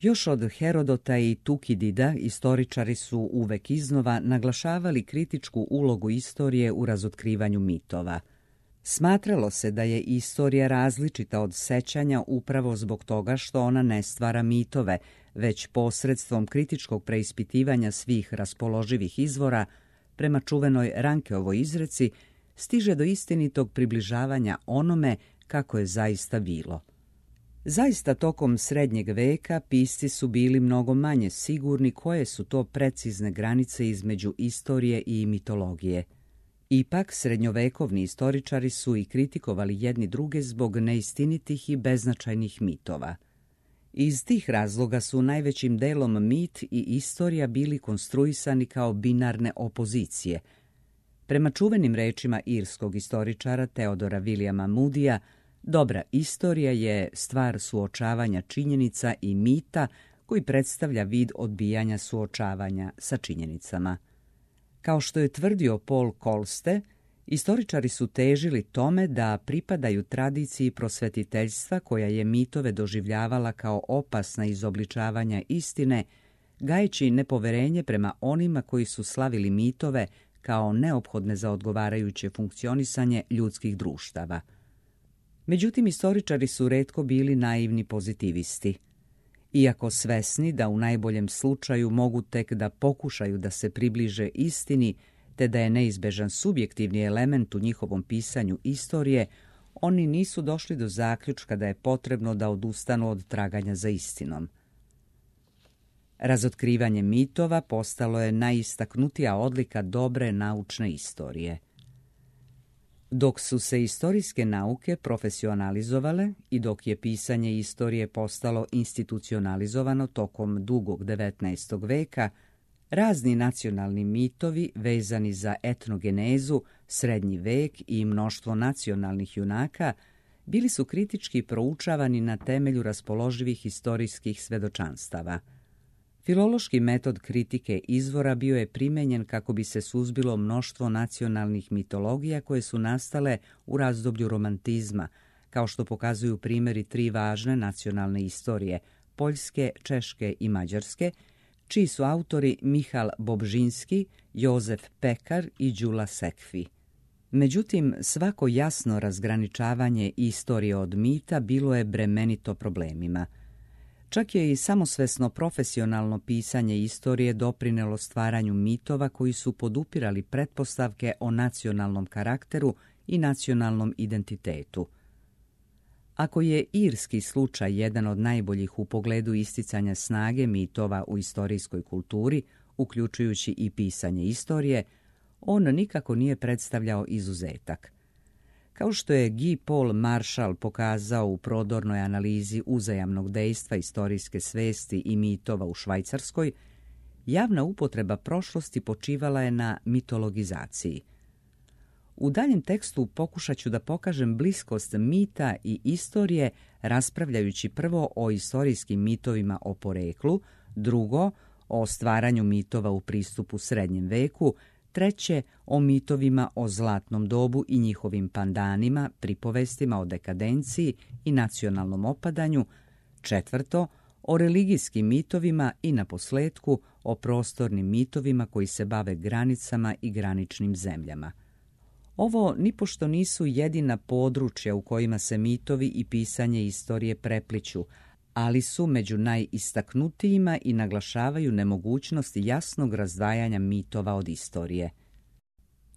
Još od Herodota i Tukidida istoričari su uvek iznova naglašavali kritičku ulogu istorije u razotkrivanju mitova. Smatralo se da je istorija različita od sećanja upravo zbog toga što ona ne stvara mitove, već posredstvom kritičkog preispitivanja svih raspoloživih izvora, prema čuvenoj Rankeovoj izreci, stiže do istinitog približavanja onome kako je zaista bilo. Zaista tokom srednjeg veka pisci su bili mnogo manje sigurni koje su to precizne granice između istorije i mitologije. Ipak, srednjovekovni istoričari su i kritikovali jedni druge zbog neistinitih i beznačajnih mitova. Iz tih razloga su najvećim delom mit i istorija bili konstruisani kao binarne opozicije. Prema čuvenim rečima irskog istoričara Theodora Williama Moodyja, dobra istorija je stvar suočavanja činjenica i mita koji predstavlja vid odbijanja suočavanja sa činjenicama. Kao što je tvrdio Paul Kolste, istoričari su težili tome da pripadaju tradiciji prosvetiteljstva koja je mitove doživljavala kao opasna izobličavanja istine, gajeći nepoverenje prema onima koji su slavili mitove kao neophodne za odgovarajuće funkcionisanje ljudskih društava. Međutim, istoričari su retko bili naivni pozitivisti. Iako svesni da u najboljem slučaju mogu tek da pokušaju da se približe istini, te da je neizbežan subjektivni element u njihovom pisanju istorije, oni nisu došli do zaključka da je potrebno da odustanu od traganja za istinom. Razotkrivanje mitova postalo je najistaknutija odlika dobre naučne istorije. Dok su se istorijske nauke profesionalizovale i dok je pisanje istorije postalo institucionalizovano tokom dugog 19. veka, razni nacionalni mitovi vezani za etnogenezu, srednji vek i mnoštvo nacionalnih junaka bili su kritički proučavani na temelju raspoloživih istorijskih svedočanstava. Filološki metod kritike izvora bio je primenjen kako bi se suzbilo mnoštvo nacionalnih mitologija koje su nastale u razdoblju romantizma, kao što pokazuju primjeri tri važne nacionalne istorije, Poljske, Češke i Mađarske, čiji su autori Michal Bobžinski, Jozef Pekar i Đula Sekfi. Međutim, svako jasno razgraničavanje istorije od mita bilo je bremenito problemima. Čak je i samosvesno profesionalno pisanje istorije doprinelo stvaranju mitova koji su podupirali pretpostavke o nacionalnom karakteru i nacionalnom identitetu. Ako je irski slučaj jedan od najboljih u pogledu isticanja snage mitova u istorijskoj kulturi, uključujući i pisanje istorije, on nikako nije predstavljao izuzetak. Kao što je Guy Paul Marshall pokazao u prodornoj analizi uzajamnog dejstva istorijske svesti i mitova u Švajcarskoj, javna upotreba prošlosti počivala je na mitologizaciji. U daljem tekstu pokušat ću da pokažem bliskost mita i istorije, raspravljajući prvo o istorijskim mitovima o poreklu, drugo o stvaranju mitova u pristupu srednjem veku, treće o mitovima o zlatnom dobu i njihovim pandanima, pripovestima o dekadenciji i nacionalnom opadanju, četvrto o religijskim mitovima i naposletku o prostornim mitovima koji se bave granicama i graničnim zemljama. Ovo nipošto nisu jedina područja u kojima se mitovi i pisanje istorije prepliću, ali su među najistaknutijima i naglašavaju nemogućnost jasnog razdvajanja mitova od istorije.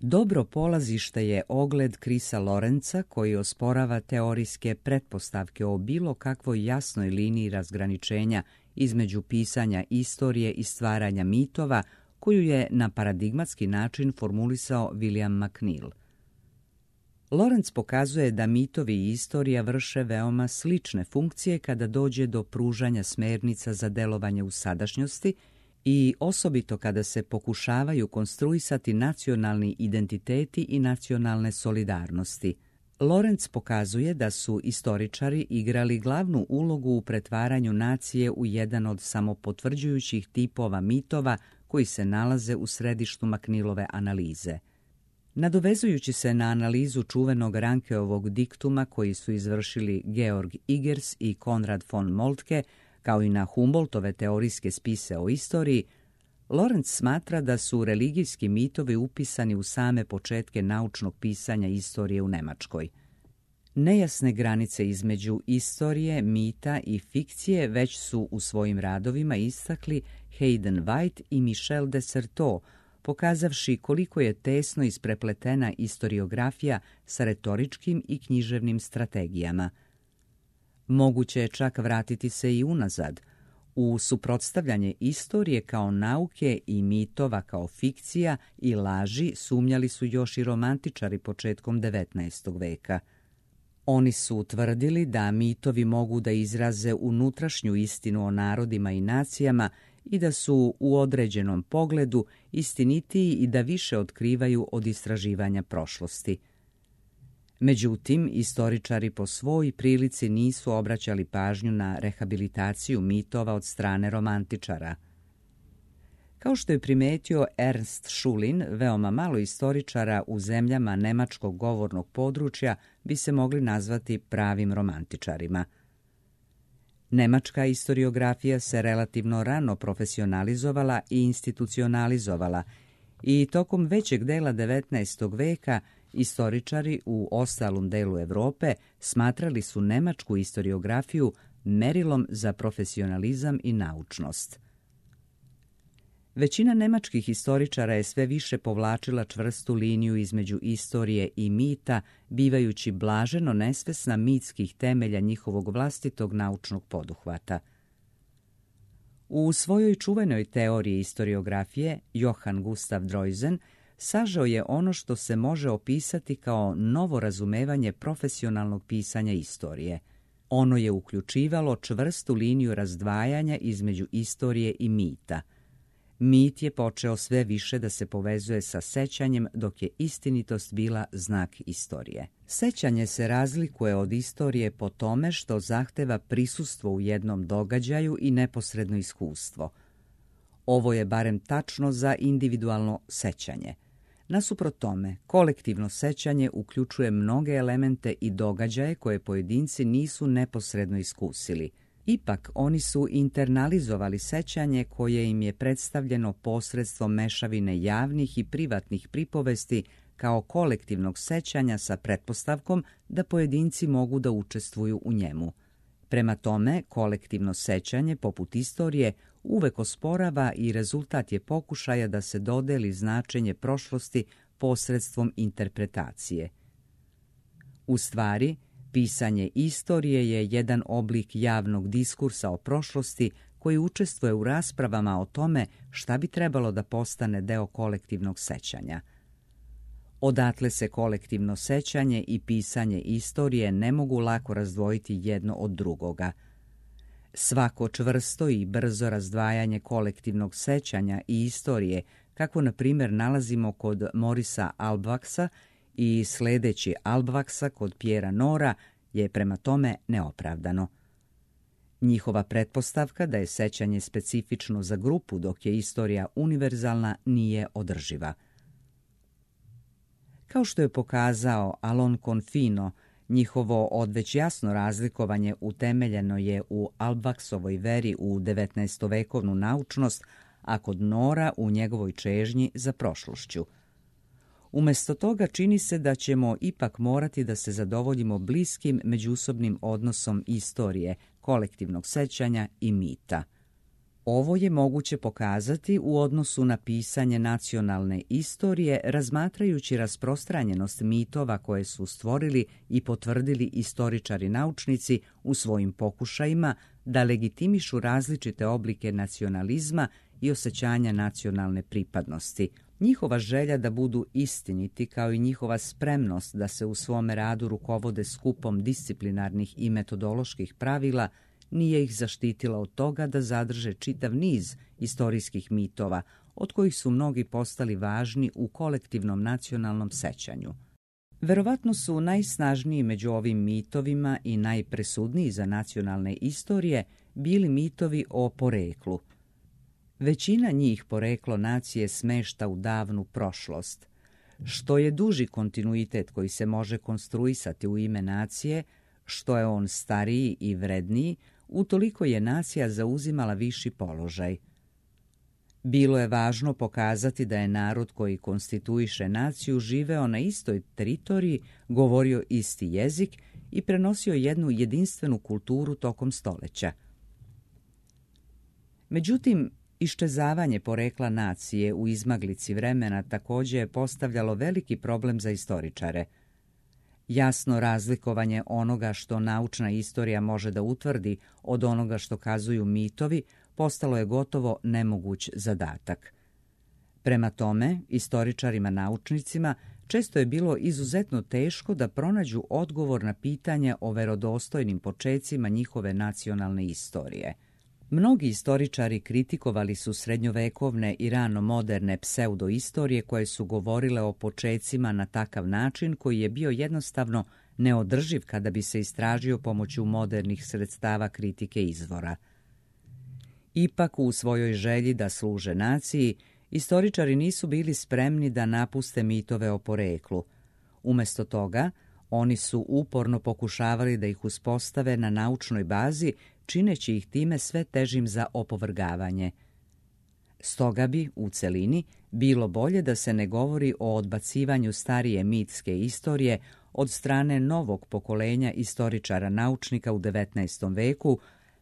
Dobro polazište je ogled Chrisa Lorenza koji osporava teorijske pretpostavke o bilo kakvoj jasnoj liniji razgraničenja između pisanja istorije i stvaranja mitova koju je na paradigmatski način formulisao William McNeill. Lorenz pokazuje da mitovi i istorija vrše veoma slične funkcije kada dođe do pružanja smernica za delovanje u sadašnjosti i osobito kada se pokušavaju konstruisati nacionalni identiteti i nacionalne solidarnosti. Lorenz pokazuje da su istoričari igrali glavnu ulogu u pretvaranju nacije u jedan od samopotvrđujućih tipova mitova koji se nalaze u središtu McNeillove analize. Nadovezujući se na analizu čuvenog Rankeovog diktuma koji su izvršili Georg Igers i Konrad von Moltke, Kao i na Humboldtove teorijske spise o istoriji, Lorenz smatra da su religijski mitovi upisani u same početke naučnog pisanja istorije u Nemačkoj. Nejasne granice između istorije, mita i fikcije već su u svojim radovima istakli Hayden White i Michel de Certeau, pokazavši koliko je tesno isprepletena istoriografija sa retoričkim i književnim strategijama. Moguće je čak vratiti se i unazad. U suprotstavljanje istorije kao nauke i mitova kao fikcija i laži sumnjali su još i romantičari početkom 19. veka. Oni su utvrdili da mitovi mogu da izraze unutrašnju istinu o narodima i nacijama i da su u određenom pogledu istinitiji i da više otkrivaju od istraživanja prošlosti. Međutim, istoričari po svoj prilici nisu obraćali pažnju na rehabilitaciju mitova od strane romantičara. Kao što je primetio Ernst Schulin, veoma malo istoričara u zemljama nemačkog govornog područja bi se mogli nazvati pravim romantičarima. Nemačka istoriografija se relativno rano profesionalizovala i institucionalizovala i tokom većeg dela 19. veka istoričari u ostalom delu Europe smatrali su nemačku istoriografiju merilom za profesionalizam i naučnost. Većina nemačkih istoričara je sve više povlačila čvrstu liniju između istorije i mita, bivajući blaženo nesvesna mitskih temelja njihovog vlastitog naučnog poduhvata. U svojoj čuvenoj teoriji istoriografije Johann Gustav Droysen sažeo je ono što se može opisati kao novo razumevanje profesionalnog pisanja istorije. Ono je uključivalo čvrstu liniju razdvajanja između istorije i mita. Mit je počeo sve više da se povezuje sa sećanjem, dok je istinitost bila znak istorije. Sećanje se razlikuje od istorije po tome što zahteva prisustvo u jednom događaju i neposredno iskustvo. Ovo je barem tačno za individualno sećanje. Nasuprot tome, kolektivno sećanje uključuje mnoge elemente i događaje koje pojedinci nisu neposredno iskusili. Ipak, oni su internalizovali sećanje koje im je predstavljeno posredstvom mešavine javnih i privatnih pripovesti kao kolektivnog sećanja sa pretpostavkom da pojedinci mogu da učestvuju u njemu. Prema tome, kolektivno sećanje, poput istorije, uvek osporava i rezultat je pokušaja da se dodeli značenje prošlosti posredstvom interpretacije. U stvari, pisanje istorije je jedan oblik javnog diskursa o prošlosti koji učestvuje u raspravama o tome šta bi trebalo da postane deo kolektivnog sećanja. Odatle se kolektivno sećanje i pisanje istorije ne mogu lako razdvojiti jedno od drugoga. Svako čvrsto i brzo razdvajanje kolektivnog sećanja i istorije, kako na primjer nalazimo kod Morisa Albvaksa i sledeći Albvaksa kod Pjera Nora, je prema tome neopravdano. Njihova pretpostavka da je sećanje specifično za grupu dok je istorija univerzalna nije održiva. Kao što je pokazao Alon Confino, njihovo odveć jasno razlikovanje utemeljeno je u Albvaksovoj veri u 19-vekovnu naučnost, a kod Nora u njegovoj čežnji za prošlošću. Umesto toga čini se da ćemo ipak morati da se zadovoljimo bliskim međusobnim odnosom istorije, kolektivnog sećanja i mita. Ovo je moguće pokazati u odnosu na pisanje nacionalne istorije, razmatrajući rasprostranjenost mitova koje su stvorili i potvrdili istoričari naučnici u svojim pokušajima da legitimišu različite oblike nacionalizma i osjećanja nacionalne pripadnosti. Njihova želja da budu istiniti, kao i njihova spremnost da se u svome radu rukovode skupom disciplinarnih i metodoloških pravila, nije ih zaštitila od toga da zadrže čitav niz istorijskih mitova, od kojih su mnogi postali važni u kolektivnom nacionalnom sećanju. Verovatno su najsnažniji među ovim mitovima i najpresudniji za nacionalne istorije bili mitovi o poreklu. Većina njih poreklo nacije smešta u davnu prošlost. Što je duži kontinuitet koji se može konstruisati u ime nacije, što je on stariji i vredniji, utoliko je nacija zauzimala viši položaj. Bilo je važno pokazati da je narod koji konstituiše naciju živeo na istoj teritoriji, govorio isti jezik i prenosio jednu jedinstvenu kulturu tokom stoljeća. Međutim, iščezavanje porekla nacije u izmaglici vremena također je postavljalo veliki problem za istoričare. Jasno razlikovanje onoga što naučna istorija može da utvrdi od onoga što kazuju mitovi postalo je gotovo nemoguć zadatak. Prema tome, istoričarima naučnicima često je bilo izuzetno teško da pronađu odgovor na pitanje o verodostojnim počecima njihove nacionalne istorije. Mnogi istoričari kritikovali su srednjovekovne i rano moderne pseudoistorije koje su govorile o počecima na takav način koji je bio jednostavno neodrživ kada bi se istražio pomoću modernih sredstava kritike izvora. Ipak, u svojoj želji da služe naciji, istoričari nisu bili spremni da napuste mitove o poreklu. Umjesto toga, oni su uporno pokušavali da ih uspostave na naučnoj bazi, čineći ih time sve težim za opovrgavanje. Stoga bi, u celini, bilo bolje da se ne govori o odbacivanju starije mitske istorije od strane novog pokolenja istoričara naučnika u 19. veku,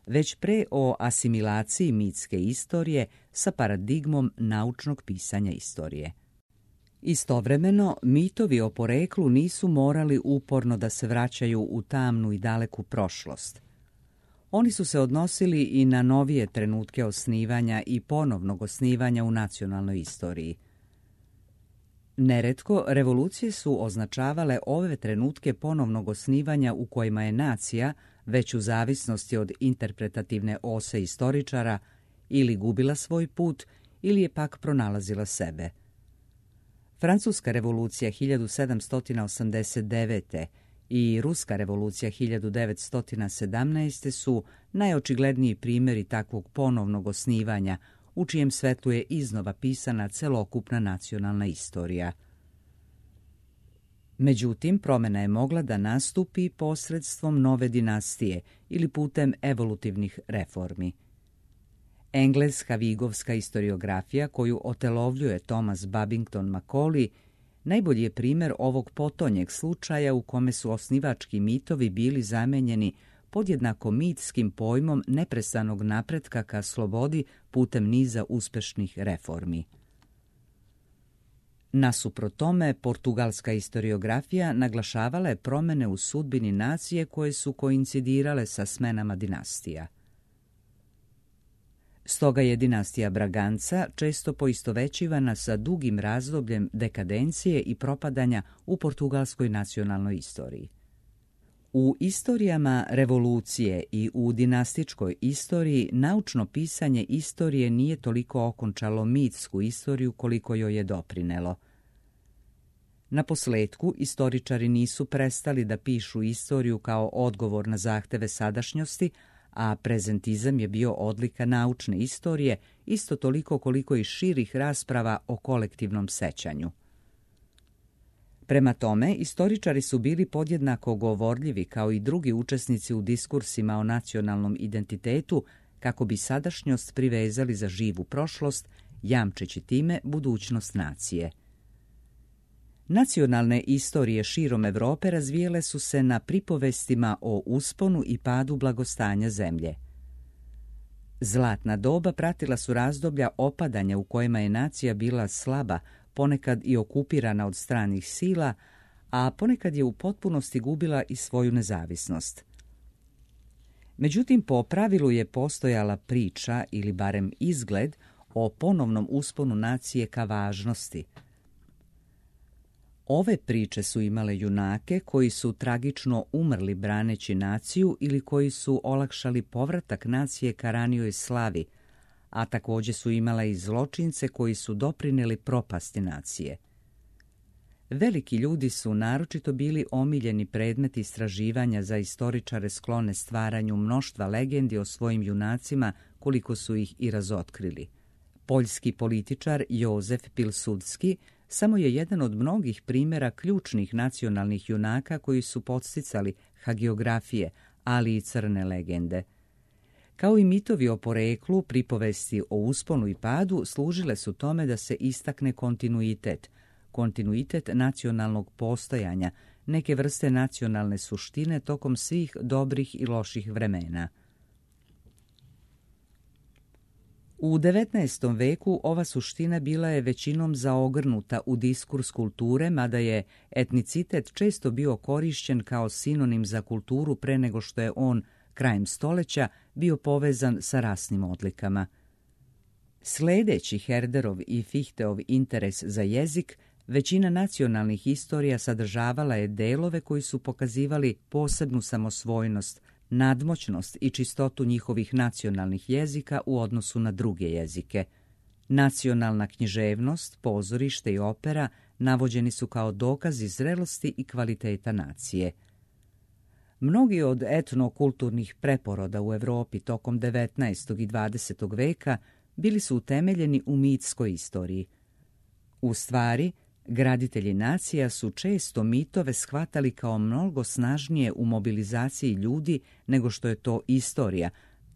već pre o asimilaciji mitske istorije sa paradigmom naučnog pisanja istorije. Istovremeno, mitovi o poreklu nisu morali uporno da se vraćaju u tamnu i daleku prošlost. Oni su se odnosili i na novije trenutke osnivanja i ponovnog osnivanja u nacionalnoj istoriji. Neretko, revolucije su označavale ove trenutke ponovnog osnivanja u kojima je nacija, već u zavisnosti od interpretativne ose istoričara, ili gubila svoj put, ili je pak pronalazila sebe. Francuska revolucija 1789. i Ruska revolucija 1917. su najočigledniji primjeri takvog ponovnog osnivanja, u čijem svetlu je iznova pisana celokupna nacionalna istorija. Međutim, promjena je mogla da nastupi posredstvom nove dinastije ili putem evolutivnih reformi. Engleska vigovska istoriografija koju otelovljuje Thomas Babington Macaulay najbolji je primjer ovog potonjeg slučaja u kome su osnivački mitovi bili zamenjeni podjednako mitskim pojmom neprestanog napretka ka slobodi putem niza uspešnih reformi. Nasuprot tome, portugalska istoriografija naglašavala je promjene u sudbini nacije koje su koincidirale sa smenama dinastija. Stoga je dinastija Braganca često poistovećivana sa dugim razdobljem dekadencije i propadanja u portugalskoj nacionalnoj istoriji. U istorijama revolucije i u dinastičkoj istoriji naučno pisanje istorije nije toliko okončalo mitsku istoriju koliko joj je doprinelo. Naposletku, istoričari nisu prestali da pišu istoriju kao odgovor na zahteve sadašnjosti, a prezentizam je bio odlika naučne istorije isto toliko koliko i širih rasprava o kolektivnom sećanju. Prema tome, istoričari su bili podjednako govorljivi kao i drugi učesnici u diskursima o nacionalnom identitetu kako bi sadašnjost privezali za živu prošlost, jamčeći time budućnost nacije. Nacionalne istorije širom Evrope razvijele su se na pripovestima o usponu i padu blagostanja zemlje. Zlatna doba pratila su razdoblja opadanja u kojima je nacija bila slaba, ponekad i okupirana od stranih sila, a ponekad je u potpunosti gubila i svoju nezavisnost. Međutim, po pravilu je postojala priča ili barem izgled o ponovnom usponu nacije ka važnosti. Ove priče su imale junake koji su tragično umrli braneći naciju ili koji su olakšali povratak nacije ka ranijoj slavi, a također su imale i zločince koji su doprinijeli propasti nacije. Veliki ljudi su naročito bili omiljeni predmet istraživanja za istoričare sklone stvaranju mnoštva legendi o svojim junacima koliko su ih i razotkrili. Poljski političar Jozef Pilsudski samo je jedan od mnogih primjera ključnih nacionalnih junaka koji su podsticali hagiografije, ali i crne legende. Kao i mitovi o poreklu, pripovesti o usponu i padu služile su tome da se istakne kontinuitet nacionalnog postojanja, neke vrste nacionalne suštine tokom svih dobrih i loših vremena. U 19. veku ova suština bila je većinom zaogrnuta u diskurs kulture, mada je etnicitet često bio korišćen kao sinonim za kulturu pre nego što je on krajem stoljeća bio povezan sa rasnim odlikama. Sledeći Herderov i Fichteov interes za jezik, većina nacionalnih istorija sadržavala je delove koji su pokazivali posebnu samosvojnost, nadmoćnost i čistotu njihovih nacionalnih jezika u odnosu na druge jezike. Nacionalna književnost, pozorište i opera navođeni su kao dokazi zrelosti i kvaliteta nacije. Mnogi od etnokulturnih preporoda u Evropi tokom 19. i 20. veka bili su utemeljeni u mitskoj istoriji. U stvari, graditelji nacija su često mitove shvatali kao mnogo snažnije u mobilizaciji ljudi nego što je to istorija,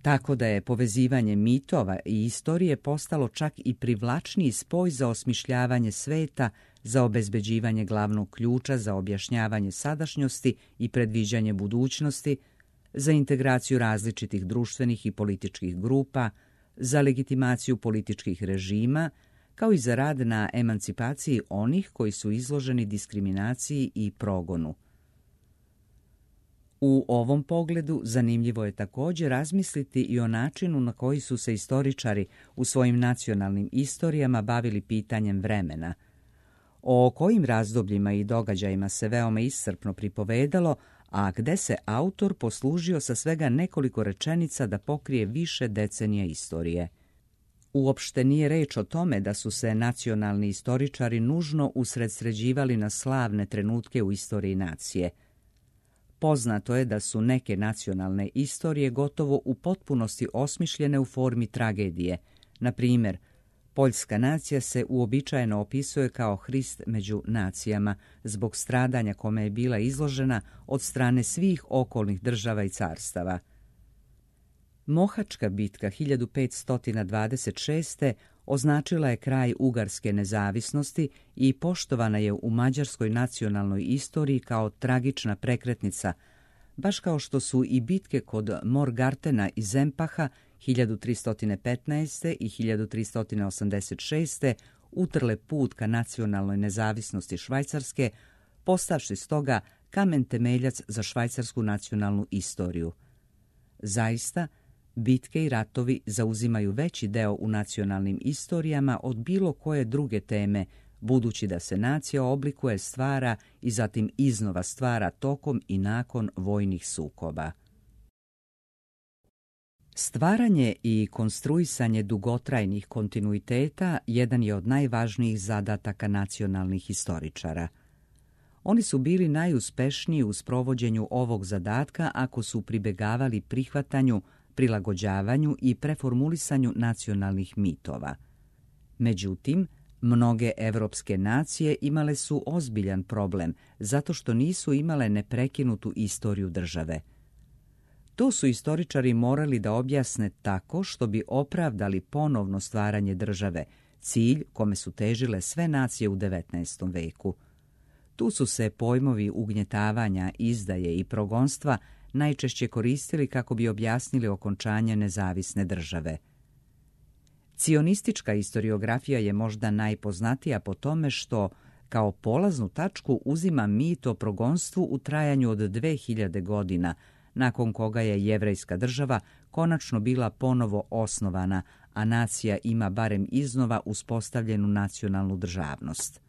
tako da je povezivanje mitova i istorije postalo čak i privlačniji spoj za osmišljavanje sveta, za obezbeđivanje glavnog ključa, za objašnjavanje sadašnjosti i predviđanje budućnosti, za integraciju različitih društvenih i političkih grupa, za legitimaciju političkih režima, kao i za rad na emancipaciji onih koji su izloženi diskriminaciji i progonu. U ovom pogledu zanimljivo je također razmisliti i o načinu na koji su se istoričari u svojim nacionalnim istorijama bavili pitanjem vremena. O kojim razdobljima i događajima se veoma iscrpno pripovedalo, a gde se autor poslužio sa svega nekoliko rečenica da pokrije više decenija istorije. Uopšte nije reč o tome da su se nacionalni istoričari nužno usredsređivali na slavne trenutke u istoriji nacije. Poznato je da su neke nacionalne istorije gotovo u potpunosti osmišljene u formi tragedije. Na primjer, poljska nacija se uobičajeno opisuje kao Hrist među nacijama zbog stradanja kome je bila izložena od strane svih okolnih država i carstava. Mohačka bitka 1526. označila je kraj ugarske nezavisnosti i poštovana je u mađarskoj nacionalnoj istoriji kao tragična prekretnica, baš kao što su i bitke kod Morgartena i Zempaha 1315. i 1386. utrle put ka nacionalnoj nezavisnosti Švajcarske, postavši stoga kamen temeljac za švajcarsku nacionalnu istoriju. Zaista, bitke i ratovi zauzimaju veći deo u nacionalnim istorijama od bilo koje druge teme, budući da se nacija oblikuje, stvara i zatim iznova stvara tokom i nakon vojnih sukoba. Stvaranje i konstruisanje dugotrajnih kontinuiteta jedan je od najvažnijih zadataka nacionalnih istoričara. Oni su bili najuspešniji u sprovođenju ovog zadatka ako su pribegavali prihvatanju, prilagođavanju i preformulisanju nacionalnih mitova. Međutim, mnoge evropske nacije imale su ozbiljan problem zato što nisu imale neprekinutu istoriju države. To su istoričari morali da objasne tako što bi opravdali ponovno stvaranje države, cilj kome su težile sve nacije u 19. veku. Tu su se pojmovi ugnjetavanja, izdaje i progonstva najčešće koristili kako bi objasnili okončanje nezavisne države. Cionistička istoriografija je možda najpoznatija po tome što kao polaznu tačku uzima mit o progonstvu u trajanju od 2000 godina, nakon koga je jevrejska država konačno bila ponovo osnovana, a nacija ima barem iznova uspostavljenu nacionalnu državnost.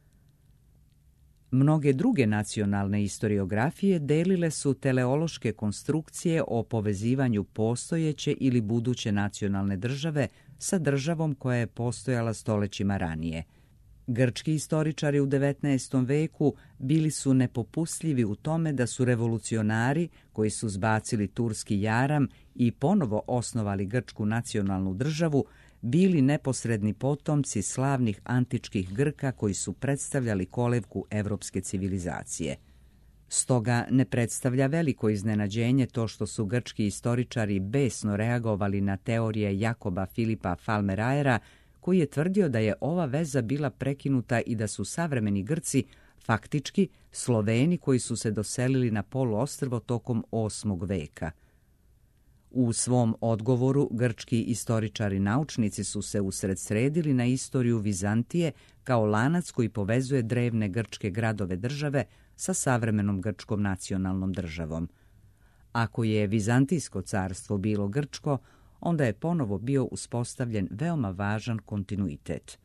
Mnoge druge nacionalne istoriografije delile su teleološke konstrukcije o povezivanju postojeće ili buduće nacionalne države sa državom koja je postojala stolećima ranije. Grčki istoričari u 19. veku bili su nepopustljivi u tome da su revolucionari koji su zbacili turski jaram i ponovo osnovali grčku nacionalnu državu bili neposredni potomci slavnih antičkih Grka koji su predstavljali kolevku evropske civilizacije. Stoga ne predstavlja veliko iznenađenje to što su grčki istoričari besno reagovali na teorije Jakoba Filipa Falmerajera, koji je tvrdio da je ova veza bila prekinuta i da su savremeni Grci faktički Sloveni koji su se doselili na poluostrvo tokom 8. veka. U svom odgovoru grčki istoričari naučnici su se usredsredili na istoriju Vizantije kao lanac koji povezuje drevne grčke gradove države sa savremenom grčkom nacionalnom državom. Ako je Vizantijsko carstvo bilo grčko, onda je ponovo bio uspostavljen veoma važan kontinuitet.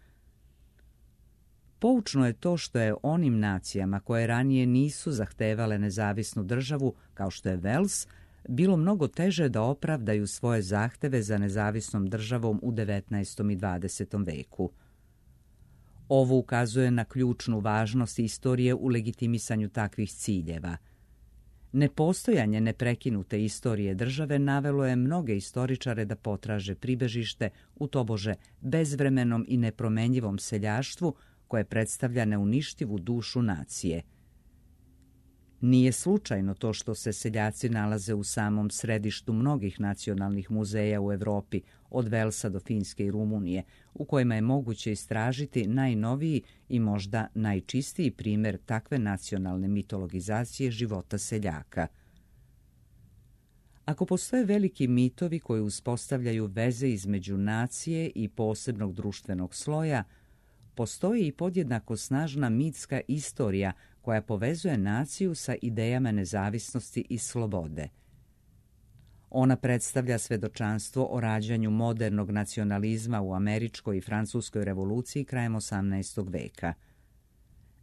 Poučno je to što je onim nacijama koje ranije nisu zahtevale nezavisnu državu, kao što je Vels, bilo mnogo teže da opravdaju svoje zahteve za nezavisnom državom u 19. i 20. veku. Ovo ukazuje na ključnu važnost istorije u legitimisanju takvih ciljeva. Nepostojanje neprekinute istorije države navelo je mnoge istoričare da potraže pribežište u tobože bezvremenom i nepromenjivom seljaštvu koje predstavlja neuništivu dušu nacije. Nije slučajno to što se seljaci nalaze u samom središtu mnogih nacionalnih muzeja u Evropi, od Velsa do Finske i Rumunije, u kojima je moguće istražiti najnoviji i možda najčistiji primjer takve nacionalne mitologizacije života seljaka. Ako postoje veliki mitovi koji uspostavljaju veze između nacije i posebnog društvenog sloja, postoji i podjednako snažna mitska istorija koja povezuje naciju sa idejama nezavisnosti i slobode. Ona predstavlja svedočanstvo o rađanju modernog nacionalizma u američkoj i francuskoj revoluciji krajem 18. veka.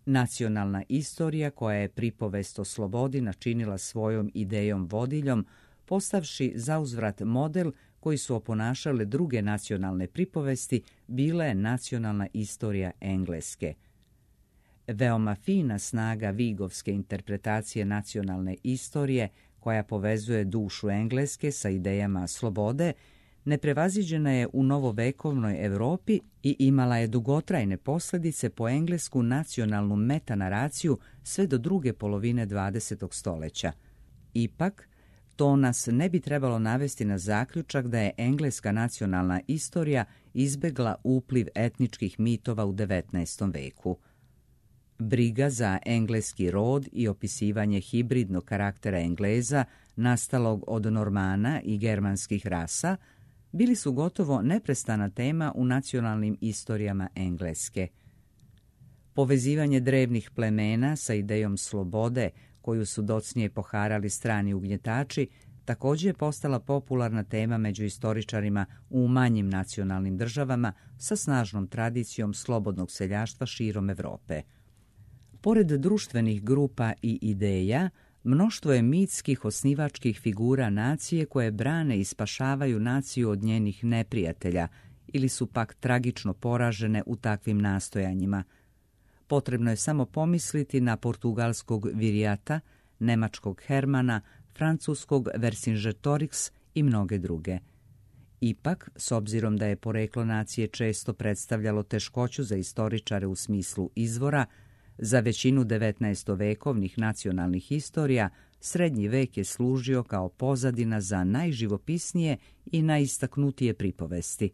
Nacionalna istorija koja je pripovest o slobodi načinila svojom idejom vodiljem, postavši zauzvrat model koji su oponašale druge nacionalne pripovesti, bila je nacionalna istorija Engleske. Veoma fina snaga vigovske interpretacije nacionalne istorije, koja povezuje dušu Engleske sa idejama slobode, neprevaziđena je u novovekovnoj Europi i imala je dugotrajne posljedice po englesku nacionalnu metanaraciju sve do druge polovine 20. stoljeća. Ipak, to nas ne bi trebalo navesti na zaključak da je engleska nacionalna istorija izbegla upliv etničkih mitova u 19. veku. Briga za engleski rod i opisivanje hibridnog karaktera Engleza, nastalog od Normana i germanskih rasa, bili su gotovo neprestana tema u nacionalnim istorijama Engleske. Povezivanje drevnih plemena sa idejom slobode, koju su docnije poharali strani ugnjetači, također je postala popularna tema među istoričarima u manjim nacionalnim državama sa snažnom tradicijom slobodnog seljaštva širom Europe. Pored društvenih grupa i ideja, mnoštvo je mitskih osnivačkih figura nacije koje brane i spašavaju naciju od njenih neprijatelja ili su pak tragično poražene u takvim nastojanjima. Potrebno je samo pomisliti na portugalskog Virijata, nemačkog Hermana, francuskog Vercingetorix i mnoge druge. Ipak, s obzirom da je poreklo nacije često predstavljalo teškoću za istoričare u smislu izvora, za većinu 19-vekovnih nacionalnih istorija srednji vek je služio kao pozadina za najživopisnije i najistaknutije pripovesti.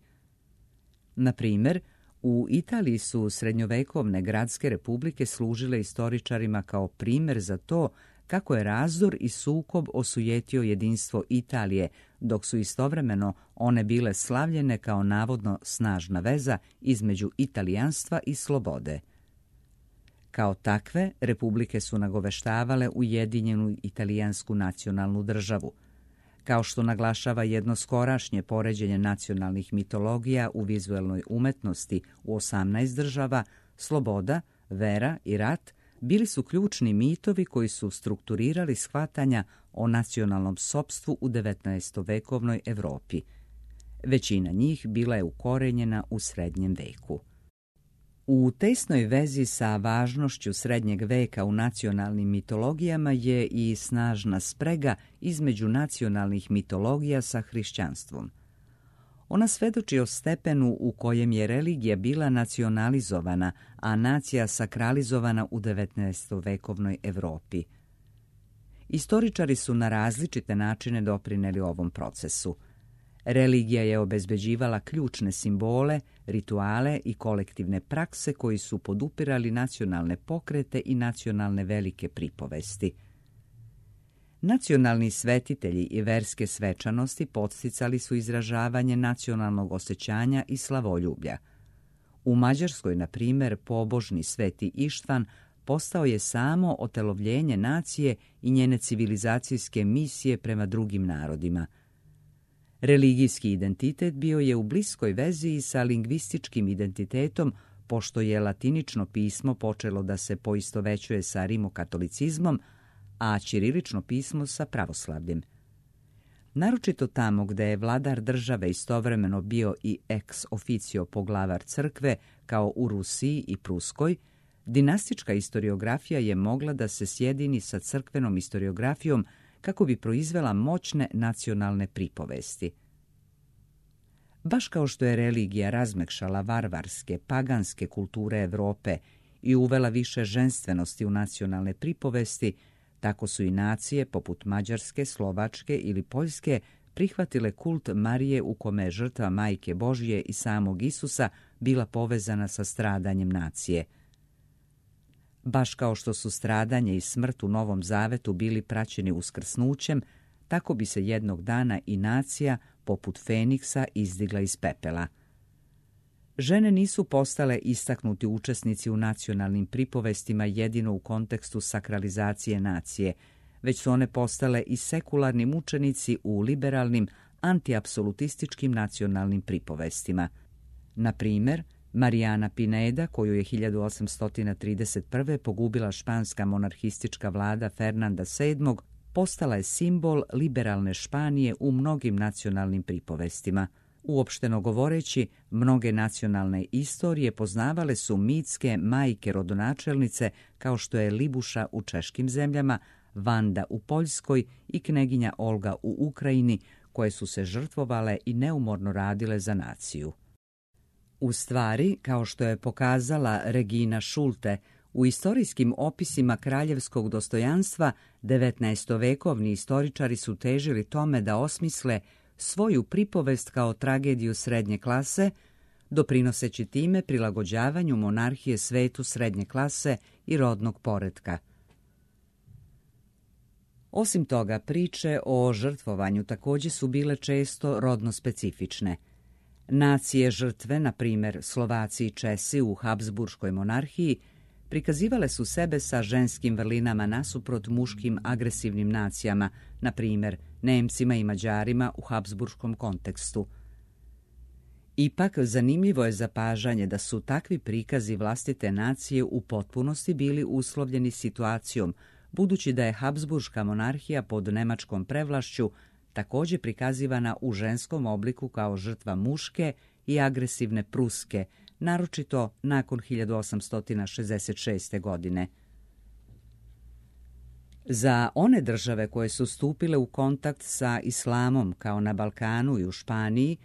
Na primjer, u Italiji su srednjovekovne gradske republike služile istoričarima kao primjer za to kako je razdor i sukob osujetio jedinstvo Italije, dok su istovremeno one bile slavljene kao navodno snažna veza između italijanstva i slobode. Kao takve, republike su nagoveštavale ujedinjenu italijansku nacionalnu državu. Kao što naglašava jedno skorašnje poređenje nacionalnih mitologija u vizuelnoj umetnosti u 18 država, sloboda, vera i rat bili su ključni mitovi koji su strukturirali shvatanja o nacionalnom sopstvu u 19-vekovnoj Europi. Većina njih bila je ukorenjena u srednjem veku. U tesnoj vezi sa važnošću srednjeg veka u nacionalnim mitologijama je i snažna sprega između nacionalnih mitologija sa hrišćanstvom. Ona svedoči o stepenu u kojem je religija bila nacionalizovana, a nacija sakralizovana u 19-vekovnoj Europi. Istoričari su na različite načine doprinijeli ovom procesu. Religija je obezbeđivala ključne simbole, rituale i kolektivne prakse koji su podupirali nacionalne pokrete i nacionalne velike pripovesti. Nacionalni svetitelji i verske svečanosti podsticali su izražavanje nacionalnog osjećanja i slavoljublja. U Mađarskoj, na primjer, pobožni Sveti Ištvan postao je samo otelovljenje nacije i njene civilizacijske misije prema drugim narodima. Religijski identitet bio je u bliskoj vezi sa lingvističkim identitetom, pošto je latinično pismo počelo da se poistovećuje sa rimokatolicizmom, a ćirilično pismo sa pravoslavljem. Naročito tamo gde je vladar države istovremeno bio i ex officio poglavar crkve, kao u Rusiji i Pruskoj, dinastička istoriografija je mogla da se sjedini sa crkvenom istoriografijom kako bi proizvela moćne nacionalne pripovesti. Baš kao što je religija razmekšala varvarske, paganske kulture Evrope i uvela više ženstvenosti u nacionalne pripovesti, tako su i nacije poput Mađarske, Slovačke ili Poljske prihvatile kult Marije u kome je žrtva Majke Božje i samog Isusa bila povezana sa stradanjem nacije. Baš kao što su stradanje i smrt u Novom Zavetu bili praćeni uskrsnućem, tako bi se jednog dana i nacija, poput Feniksa, izdigla iz pepela. Žene nisu postale istaknuti učesnici u nacionalnim pripovestima jedino u kontekstu sakralizacije nacije, već su one postale i sekularni mučenici u liberalnim, antiapsolutističkim nacionalnim pripovestima. Na primjer, Marijana Pineda, koju je 1831. pogubila španska monarhistička vlada Fernanda VII, postala je simbol liberalne Španije u mnogim nacionalnim pripovestima. Uopšteno govoreći, mnoge nacionalne istorije poznavale su mitske majke rodonačelnice kao što je Libuša u češkim zemljama, Vanda u Poljskoj i kneginja Olga u Ukrajini, koje su se žrtvovale i neumorno radile za naciju. U stvari, kao što je pokazala Regina Schulte, u istorijskim opisima kraljevskog dostojanstva 19-vekovni istoričari su težili tome da osmisle svoju pripovest kao tragediju srednje klase, doprinoseći time prilagođavanju monarhije svetu srednje klase i rodnog poretka. Osim toga, priče o žrtvovanju također su bile često rodno specifične. Nacije žrtve, na primjer Slovaci i Česi u Habsburškoj monarhiji, prikazivale su sebe sa ženskim vrlinama nasuprot muškim agresivnim nacijama, na primjer Nemcima i Mađarima u Habsburškom kontekstu. Ipak, zanimljivo je zapažanje da su takvi prikazi vlastite nacije u potpunosti bili uslovljeni situacijom, budući da je Habsburška monarhija pod nemačkom prevlašću također prikazivana u ženskom obliku kao žrtva muške i agresivne Pruske, naročito nakon 1866. godine. Za one države koje su stupile u kontakt sa islamom, kao na Balkanu i u Španiji,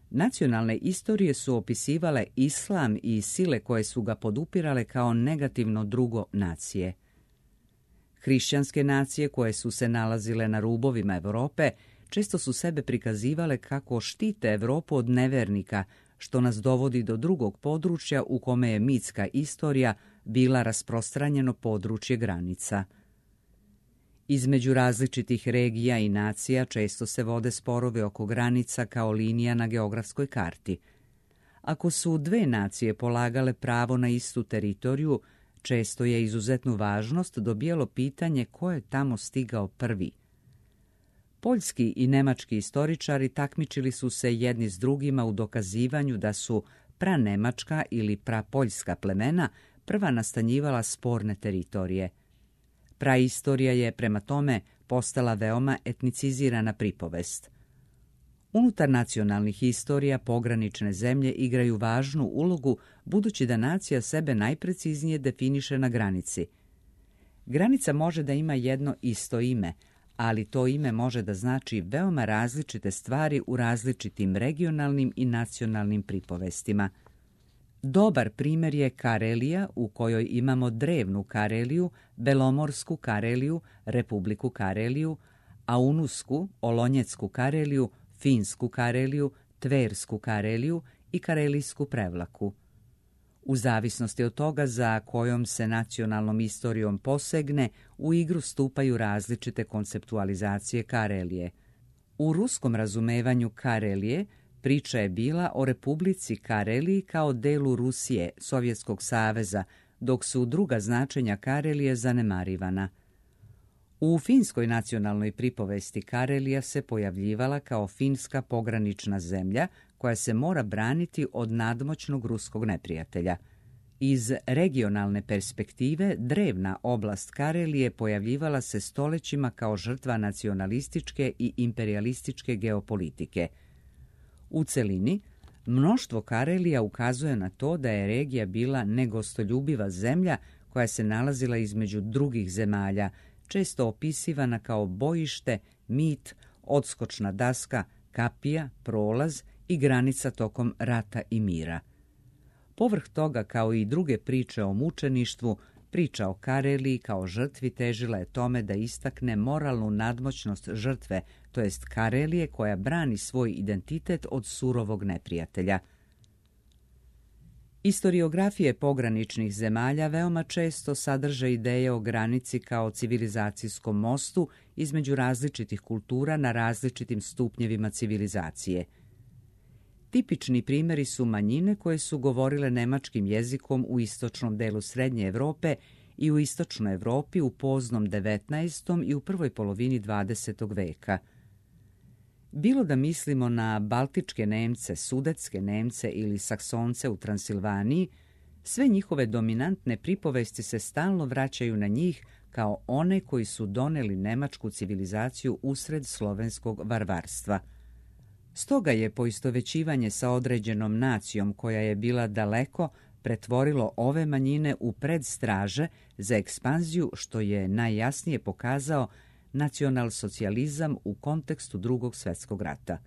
nacionalne istorije su opisivale islam i sile koje su ga podupirale kao negativno drugo nacije. Hrišćanske nacije koje su se nalazile na rubovima Europe često su sebe prikazivale kako štite Europu od nevernika, što nas dovodi do drugog područja u kome je mitska istorija bila rasprostranjeno područje granica. Između različitih regija i nacija često se vode sporovi oko granica kao linija na geografskoj karti. Ako su dve nacije polagale pravo na istu teritoriju, često je izuzetnu važnost dobijalo pitanje ko je tamo stigao prvi. Poljski i nemački istoričari takmičili su se jedni s drugima u dokazivanju da su pranemačka ili prapoljska plemena prva nastanjivala sporne teritorije. Praistorija je prema tome postala veoma etnicizirana pripovest. Unutar nacionalnih istorija pogranične zemlje igraju važnu ulogu budući da nacija sebe najpreciznije definiše na granici. Granica može da ima jedno isto ime, ali to ime može da znači veoma različite stvari u različitim regionalnim i nacionalnim pripovestima. Dobar primjer je Karelija, u kojoj imamo drevnu Kareliju, Belomorsku Kareliju, Republiku Kareliju, Aunusku, Olonjecku Kareliju, Finsku Kareliju, Tversku Kareliju i Karelijsku Prevlaku. U zavisnosti od toga za kojom se nacionalnom istorijom posegne, u igru stupaju različite konceptualizacije Karelije. U ruskom razumevanju Karelije priča je bila o Republici Kareliji kao delu Rusije, Sovjetskog saveza, dok su druga značenja Karelije zanemarivana. U finskoj nacionalnoj pripovesti Karelija se pojavljivala kao finska pogranična zemlja koja se mora braniti od nadmoćnog ruskog neprijatelja. Iz regionalne perspektive drevna oblast Karelije pojavljivala se stoljećima kao žrtva nacionalističke i imperijalističke geopolitike. U celini, mnoštvo Karelija ukazuje na to da je regija bila negostoljubiva zemlja koja se nalazila između drugih zemalja, često opisivana kao bojište, mit, odskočna daska, kapija, prolaz i granica tokom rata i mira. Povrh toga, kao i druge priče o mučeništvu, priča o Kareliji kao žrtvi težila je tome da istakne moralnu nadmoćnost žrtve, to jest Karelije koja brani svoj identitet od surovog neprijatelja. Istoriografije pograničnih zemalja veoma često sadrže ideje o granici kao civilizacijskom mostu između različitih kultura na različitim stupnjevima civilizacije. Tipični primjeri su manjine koje su govorile nemačkim jezikom u istočnom delu Srednje Europe i u istočnoj Europi u poznom 19. i u prvoj polovini 20. veka. Bilo da mislimo na baltičke Nemce, sudetske Nemce ili Saksonce u Transilvaniji, sve njihove dominantne pripovesti se stalno vraćaju na njih kao one koji su doneli nemačku civilizaciju usred slovenskog varvarstva. Stoga je poistovećivanje sa određenom nacijom koja je bila daleko pretvorilo ove manjine u predstraže za ekspanziju, što je najjasnije pokazao nacionalsocijalizam u kontekstu Drugog svjetskog rata.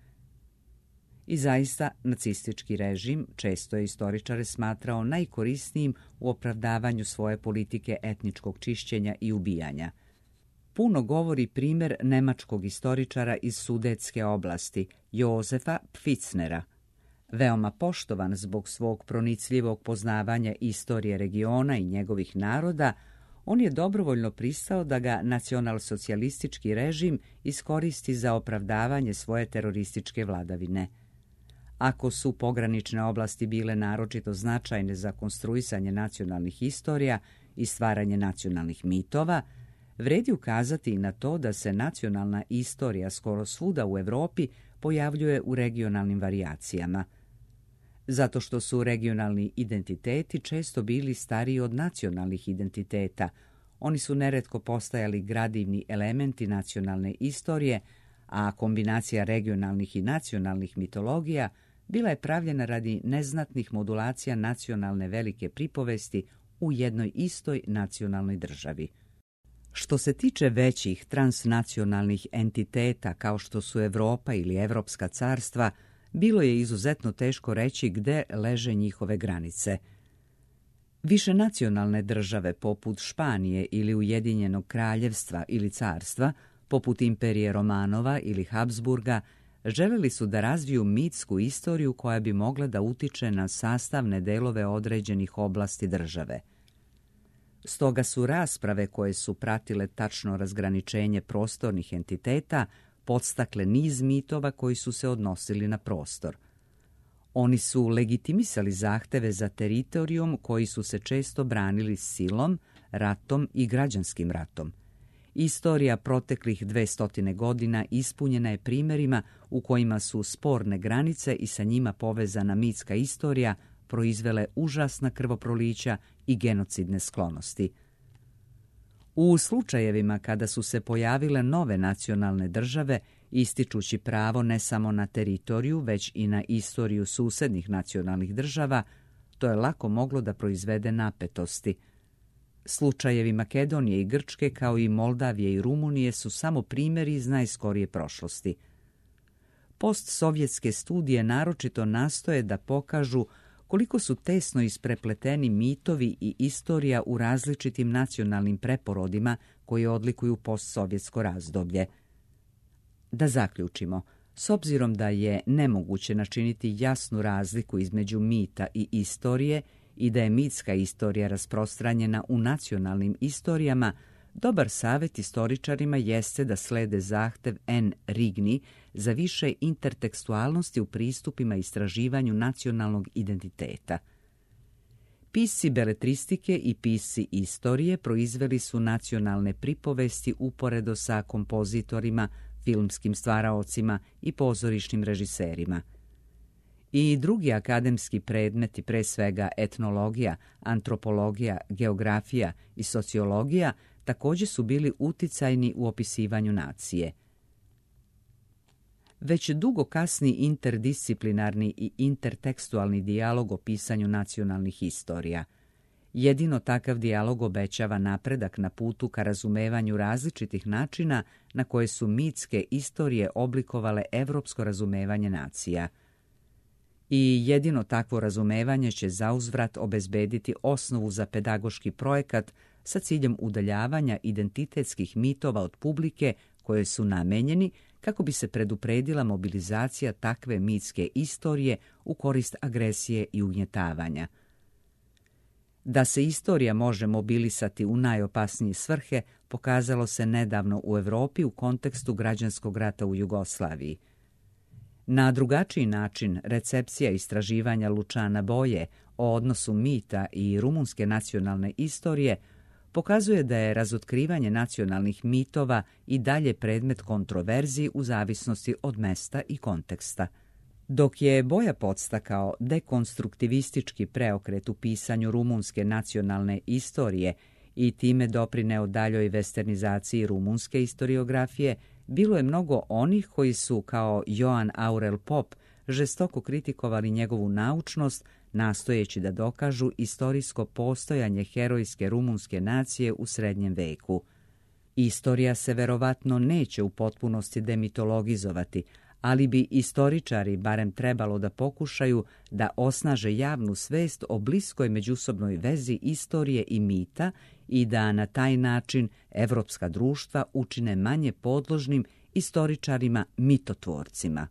I zaista, nacistički režim često je istoričare smatrao najkorisnijim u opravdavanju svoje politike etničkog čišćenja i ubijanja. Puno govori primjer nemačkog istoričara iz Sudetske oblasti, Jozefa Pfitznera. Veoma poštovan zbog svog pronicljivog poznavanja istorije regiona i njegovih naroda, on je dobrovoljno pristao da ga nacionalsocijalistički režim iskoristi za opravdavanje svoje terorističke vladavine. Ako su pogranične oblasti bile naročito značajne za konstruisanje nacionalnih istorija i stvaranje nacionalnih mitova, vredi ukazati i na to da se nacionalna istorija skoro svuda u Europi pojavljuje u regionalnim varijacijama. Zato što su regionalni identiteti često bili stariji od nacionalnih identiteta, oni su neretko postajali gradivni elementi nacionalne istorije, a kombinacija regionalnih i nacionalnih mitologija bila je pravljena radi neznatnih modulacija nacionalne velike pripovesti u jednoj istoj nacionalnoj državi. Što se tiče većih transnacionalnih entiteta kao što su Europa ili Evropska carstva, bilo je izuzetno teško reći gde leže njihove granice. Višenacionalne države poput Španije ili Ujedinjenog kraljevstva ili carstva, poput Imperije Romanova ili Habsburga, želeli su da razviju mitsku istoriju koja bi mogla da utiče na sastavne delove određenih oblasti države. Stoga su rasprave koje su pratile tačno razgraničenje prostornih entiteta podstakle niz mitova koji su se odnosili na prostor. Oni su legitimisali zahteve za teritorijom koji su se često branili silom, ratom i građanskim ratom. Istorija proteklih 200 godina ispunjena je primjerima u kojima su sporne granice i sa njima povezana mitska istorija proizvele užasna krvoprolića i genocidne sklonosti. U slučajevima kada su se pojavile nove nacionalne države, ističući pravo ne samo na teritoriju, već i na istoriju susednih nacionalnih država, to je lako moglo da proizvede napetosti. Slučajevi Makedonije i Grčke, kao i Moldavije i Rumunije, su samo primjeri iz najskorije prošlosti. Postsovjetske studije naročito nastoje da pokažu koliko su tesno isprepleteni mitovi i istorija u različitim nacionalnim preporodima koji odlikuju postsovjetsko razdoblje. Da zaključimo, s obzirom da je nemoguće načiniti jasnu razliku između mita i istorije i da je mitska istorija rasprostranjena u nacionalnim istorijama, dobar savjet istoričarima jeste da slede zahtev N. Rigni za više intertekstualnosti u pristupima istraživanju nacionalnog identiteta. Pisci beletristike i pisci istorije proizveli su nacionalne pripovesti uporedo sa kompozitorima, filmskim stvaraocima i pozorišnim režiserima. I drugi akademski predmeti, pre svega etnologija, antropologija, geografija i sociologija, također su bili uticajni u opisivanju nacije. Već dugo kasni interdisciplinarni i intertekstualni dijalog o pisanju nacionalnih istorija. Jedino takav dijalog obećava napredak na putu ka razumevanju različitih načina na koje su mitske istorije oblikovale evropsko razumevanje nacija. I jedino takvo razumevanje će zauzvrat obezbediti osnovu za pedagoški projekat sa ciljem udaljavanja identitetskih mitova od publike koje su namenjeni kako bi se predupredila mobilizacija takve mitske istorije u korist agresije i ugnjetavanja. Da se istorija može mobilisati u najopasnije svrhe pokazalo se nedavno u Europi u kontekstu građanskog rata u Jugoslaviji. Na drugačiji način recepcija istraživanja Lučana Boje o odnosu mita i rumunske nacionalne istorije pokazuje da je razotkrivanje nacionalnih mitova i dalje predmet kontroverziji u zavisnosti od mesta i konteksta. Dok je Boja podstakao dekonstruktivistički preokret u pisanju rumunske nacionalne istorije i time doprineo daljoj westernizaciji rumunske istoriografije, bilo je mnogo onih koji su, kao Joan Aurel Pop, žestoko kritikovali njegovu naučnost, nastojeći da dokažu istorijsko postojanje herojske rumunske nacije u srednjem veku. Istorija se verovatno neće u potpunosti demitologizovati, ali bi istoričari barem trebalo da pokušaju da osnaže javnu svest o bliskoj međusobnoj vezi istorije i mita i da na taj način evropska društva učine manje podložnim istoričarima mitotvorcima.